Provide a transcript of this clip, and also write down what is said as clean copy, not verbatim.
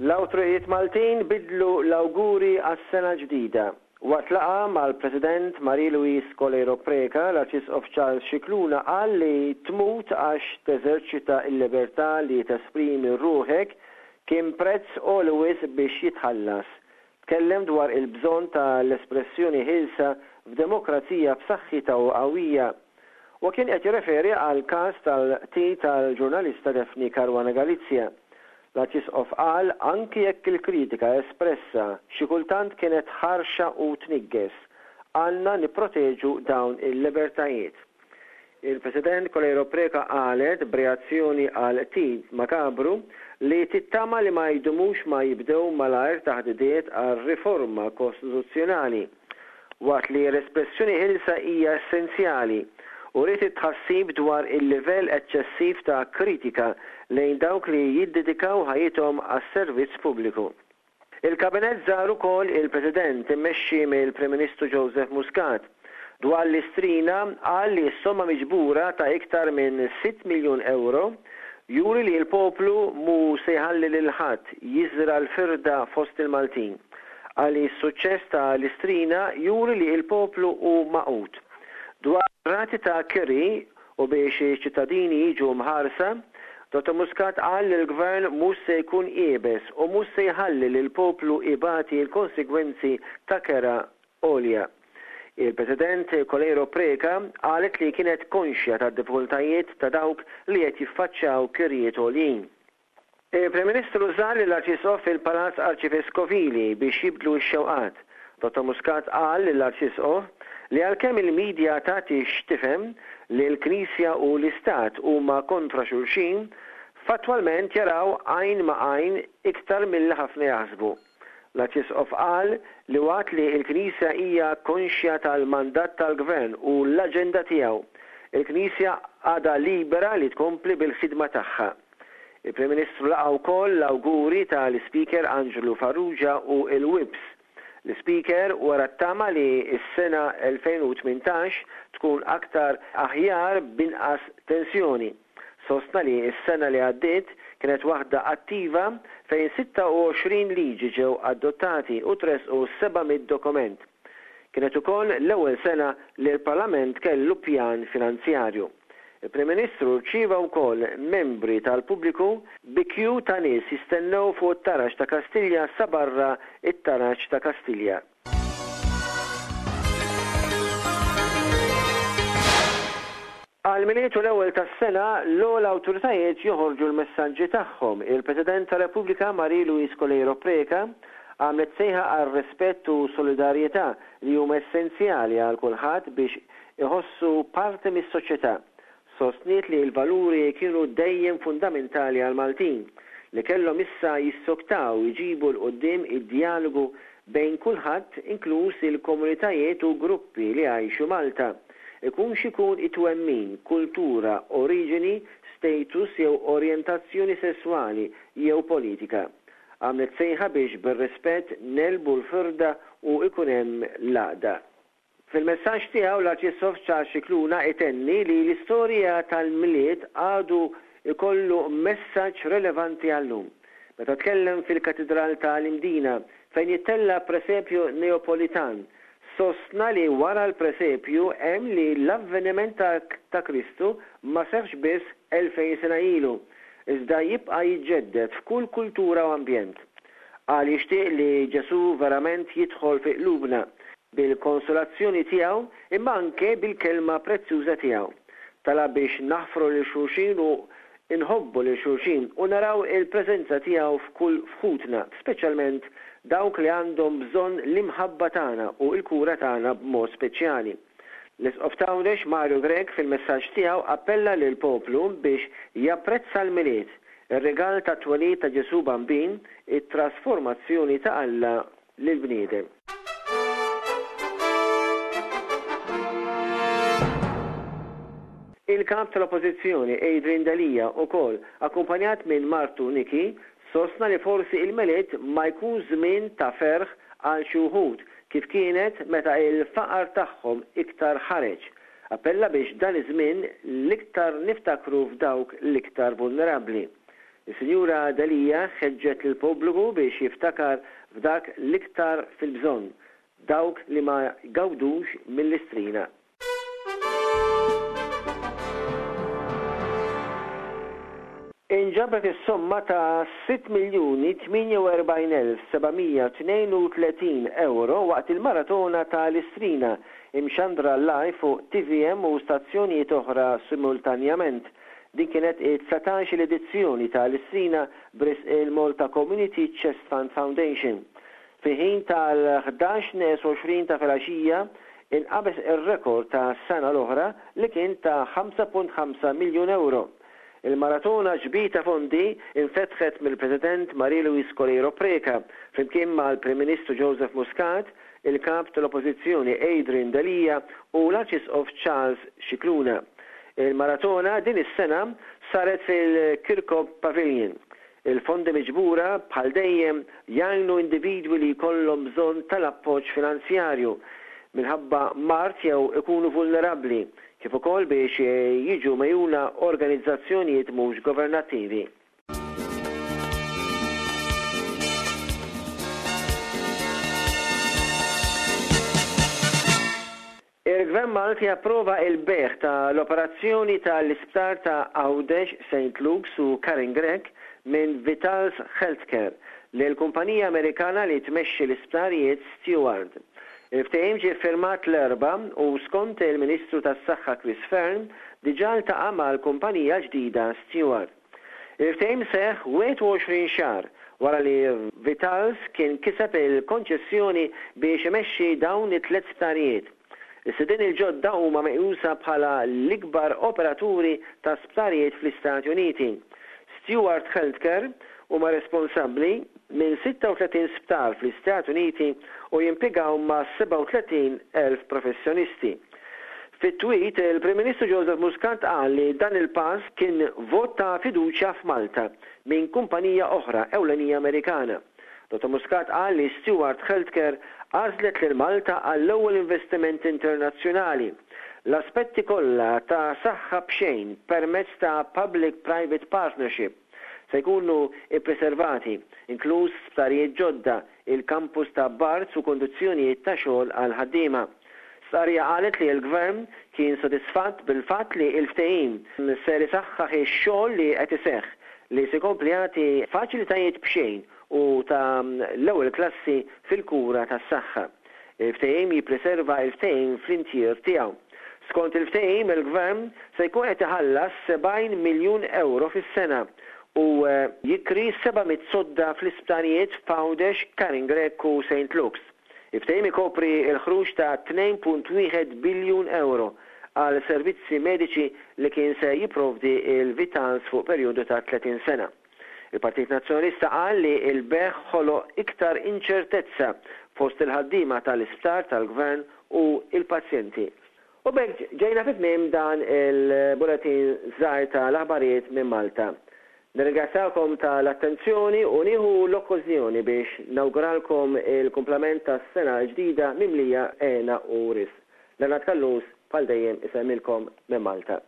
L-awtoritajiet Maltin biddlu l-awguri għas-sena l-ġdida. Waqt laqgħa mal-President Marie Louise Coleiro Preca, l-Arċisqof Charles Scicluna qal li tmut għax teżerċita l-libertà li tesprimi ruħek kien prezz għoli wisq biex jitħallas. Tkellem dwar il-bżonn ta' l-espressjoni ħielsa f'demokrazija b'saħħitha u qawwija. Huwa kien qed jirreferi għall-każ tal-qtil tal-ġurnalista Daphne Caruana Galizia. L-Arċisqof qal anki jekk il-kritika espressa xi kultant kienet ħarxa u tniggeż, għandna nipproteġu dawn il-libertajiet. Il-President Coleiro Preca qalet b'reazzjoni għall-qtil makabru li tittama li ma jdumux ma jibdew malajr taħdidiet għal riforma kostituzzjonali. Waqt li l-espressjoni ħielsa hija essenzjali, uriet it-tħassib dwar il-livell eċċessiv ta' kritika lejn dawk li jiddedikaw ħajjithom għas-servizz pubbliku. Il-Kabinett żar ukoll il-President immexxi mill-Prim Ministru Joseph Muscat. Dwar l-Istrina, qal li s-somma miġbura ta' iktar minn sitt miljun ewro juri li l-poplu mhu se jħalli lil ħadd jiżra' l-firda fost il-Maltin. Qal li s-suċċess ta' l-Istrina juri li l-poplu hu magħqud. Dwar ir-rati ta' kiri u biex iċ-ċittadini jiġu mħarsa, Dottor Muscat qal li l-Gvern mhux se jkun iebes u mhux se jħalli lill-poplu ibati l-konsegwenzi ta' kera għolja. Il-President Coleiro Preca qalet li kienet konxja tad-diffikultajiet ta' dawk li qed jiffaċċjaw kirjiet għoljin. Il-Prim Ministru żar lill-Arċisqof fil-Palazz Arċiveskovili biex jibdlu x-xewqat. Dottor Muscat qal lill-Arċisqof li għalkemm il-media tagħti x'tifhem li l-Knisja u l-Istat huma kontra xulxin, fattwalment jaraw għajn ma' għajn iktar milli ħafna jaħsbu. L-Arċisqof qal li waqt li l-Knisja hija konxja tal-mandat tal-Gvern u l-aġenda tiegħu, il-Knisja għadha libera li tkompli bil-ħidma tagħha. Il-Prim Ministru laqa' wkoll l-awguri tal-Ispeaker Anġlu Farrugia u l-Whips. L-Ispeaker wera t-tama li s-sena 2018 tkun aktar aħjar b'inqas tensjoni. Sostna li s-sena li għaddiet kienet waħda attiva fejn 26 liġi ġew adottati u tressqu 700 dokument. Kienet ukoll l-ewwel sena li l-Parlament kellu pjan finanzjarju. Il-Prim Ministru rċieva wkoll membri tal-pubbliku bi kju ta' nies jistennew fuq it-taraġ ta' Kastilja sa barra t-taraġ ta' Kastilja. Għall-Milied u l-Ewwel tas-Sena, l-ogħla awtoritajiet joħorġu l-messaġġi tagħhom. Il-President tar-Repubblika Marie Louise Coleiro Preca għamlet sejħa għal rispett u solidarjetà li huma essenzjali għal kulħadd biex iħossu parti mis-soċjetà. Sostniet li l-valuri kienu dejjem fundamentali għall-Maltin, li kellhom issa jissoktaw iġibu 'l quddiem id-djalogu bejn kulħadd inkluż il-komunitajiet u gruppi li jgħixu Malta, ikun x'ikun it-twemmin, kultura, oriġini, status jew orjentazzjoni sesswali jew politika. Għamlet sejħa biex bir-rispett negħlbu l-firda u jkun hemm l-għaqda. Fil-messaġġ tiegħu l-Arċisqof Charles Scicluna itenni li l-istorja tal-Milied għadu jkollu messaġġ relevanti għal-lum. Meta tkellem fil-Katidral ta' l-Imdina fejn jittella' presepju Neopolitan, sostna li wara l-presepju hemm li l-avveniment ta' Kristu ma seħħx biss 2000 sena ilu, iżda jibqa' jiġġedded f'kull kultura u ambjent. Qal jixtieq li Ġesù verament jidħol fi qlubna bil-konsolazzjoni tiegħu imma anke bil-kelma prezzjuża tiegħu. Talab biex naħfru lil xulxin u nħobbu lil xulxin u naraw il-preżenza tiegħu f'kull f'ħutna, speċjalment dawk li għandhom bżonn l-imħabba tagħna u l-kura tagħna b'mod speċjali. L-Isqof t'Għawdex Mario Grech fil-messaġġ tiegħu appella lill-poplu biex japprezza l-Milied, ir-rigal tat-twelid ta' Ġesù Bambin, it-trasformazzjoni ta' Alla lill-bniedem. Il-Kap tal-Oppożizzjoni Adrian Delia ukoll, akkumpanjat minn martu Nikki, sostna li forsi il-Milied ma jkunx żmien ta' ferħ għal xi wħud. kif kienet meta il-faqar tagħhom iktar ħareġ. Appella biex dan iż-żmien l-iktar niftakru f'dawk l-iktar vulnerabbli. Is-Sinjura Delia ħeġġet lill-pubbliku biex jiftakar f'dak l-iktar fil-bżonn, dawk li ma jgawdux mill-Istrina. Inġabret is-somma ta' 6,048,732 ewro waqt il-maratona ta' l-Istrina, imxandra live fuq tvm u stazzjonijiet oħra simultanjament. Din kienet it-dsatax-il edizzjoni ta' l-Istrina b'risq il-Malta Community Chest Fund Foundation. Fi ħin tal-11 neqes 20 ta' filgħaxija inqabeż ir-rekord ta' sena l-oħra li kien ta' 5.5 miljun ewro. Il-maratona ġbir ta' fondi infetħet mill-President Marie Louise Coleiro Preca flimkien mal-Prim Ministru Joseph Muscat, il-Kap tal-Oppożizzjoni Adrian Delia u l-Arċisqof Charles Scicluna. Il-maratona din is-sena saret fil-Kirkop Pavilion. Il-fondi miġbura, bħal dejjem, jgħinu individwi li jkollhom bżonn tal-appoġġ finanzjarju minħabba mard jew ikunu vulnerabbli, kif ukoll biex jiġu megħjuna organizzazzjonijiet mhux governattivi. Il-Gvern Malti approva il-bejgħ ta' l-operazzjoni ta' l-isptar ta' Għawdex, Saint Luke's u Karin Grech minn Vitals Healthcare lil kumpanija Amerikana li tmexxi l-isptarijiet Steward. Il-ftehim ġie ffirmat l-Erbgħa u skont il-Ministru tas-Saħħa Chris Fearne diġà ltaqa' mal-kumpanija l-ġdida Steward. Il-ftehim seħħ 21 xahar wara li Vitals kien kiseb il-konċessjoni biex imexxi dawn it-tliet sptarijiet. Is-sidien il-ġodda huma meqjusa bħala l-ikbar operaturi ta' sptarijiet fl-Istati Uniti. Steward Healthcare huma responsabbli minn 36 sptar fl-Istati Uniti u jimpjegaw ma' 37,000 professjonisti. Fi tweet, il-Prim Ministru Joseph Muscat qal li dan il-pass kien vot ta' fiduċja f'Malta minn kumpanija oħra ewlenija Amerikana. Dottor Muscat qal li Steward Healthcare għażlet lil Malta għall-ewwel investiment internazzjonali. L-aspetti kollha ta' saħħa b'xejn permezz ta' public private partnership se jkunu ppreservati, inkluż sptarijiet ġodda, il-kampus ta' Barts u kundizzjonijiet ta' xogħol għall-ħaddiema. Stqarrija qalet li l-Gvern kien sodisfatt bil-fatt li l-ftehim ser isaħħaħ ix-xogħol li qed iseħħ, li se jkompli jagħti faċilitajiet b'xejn u ta' l-ewwel klassi fil-kura tas-saħħa. Il-ftehim jippreserva l-ftehim fl-intier tiegħu. Skont il-ftehim, il-Gvern se jkun qed iħallas 70 miljun ewro fis-sena u jikri 700 sodda fl-isptarijiet f'Għawdex, Karin Grech u Saint Luke's. Il-ftehim ikopri l-ħruġ ta' 2.1 biljun ewro għal servizzi mediċi li kien se jipprovdi l-Vitals fuq perjodu ta' 30 sena. Il-Partit Nazzjonalista qal li l-bejgħ ħoloq iktar inċertezza fost il-ħaddiema tal-isptar tal-Gvern u l-pazjenti. U b'hekk ġejna fi tmiem dan il-bulettin żgħir ta' l-aħbarijiet minn Malta. Nirringrazzjakom ta' l-attenzjoni u nieħu l-okkożjoni biex nawguralkom il-kumplament tas-sena l-ġdida mimlija hena u risq. Leonard Callus bħal dejjem isellmilkom minn Malta.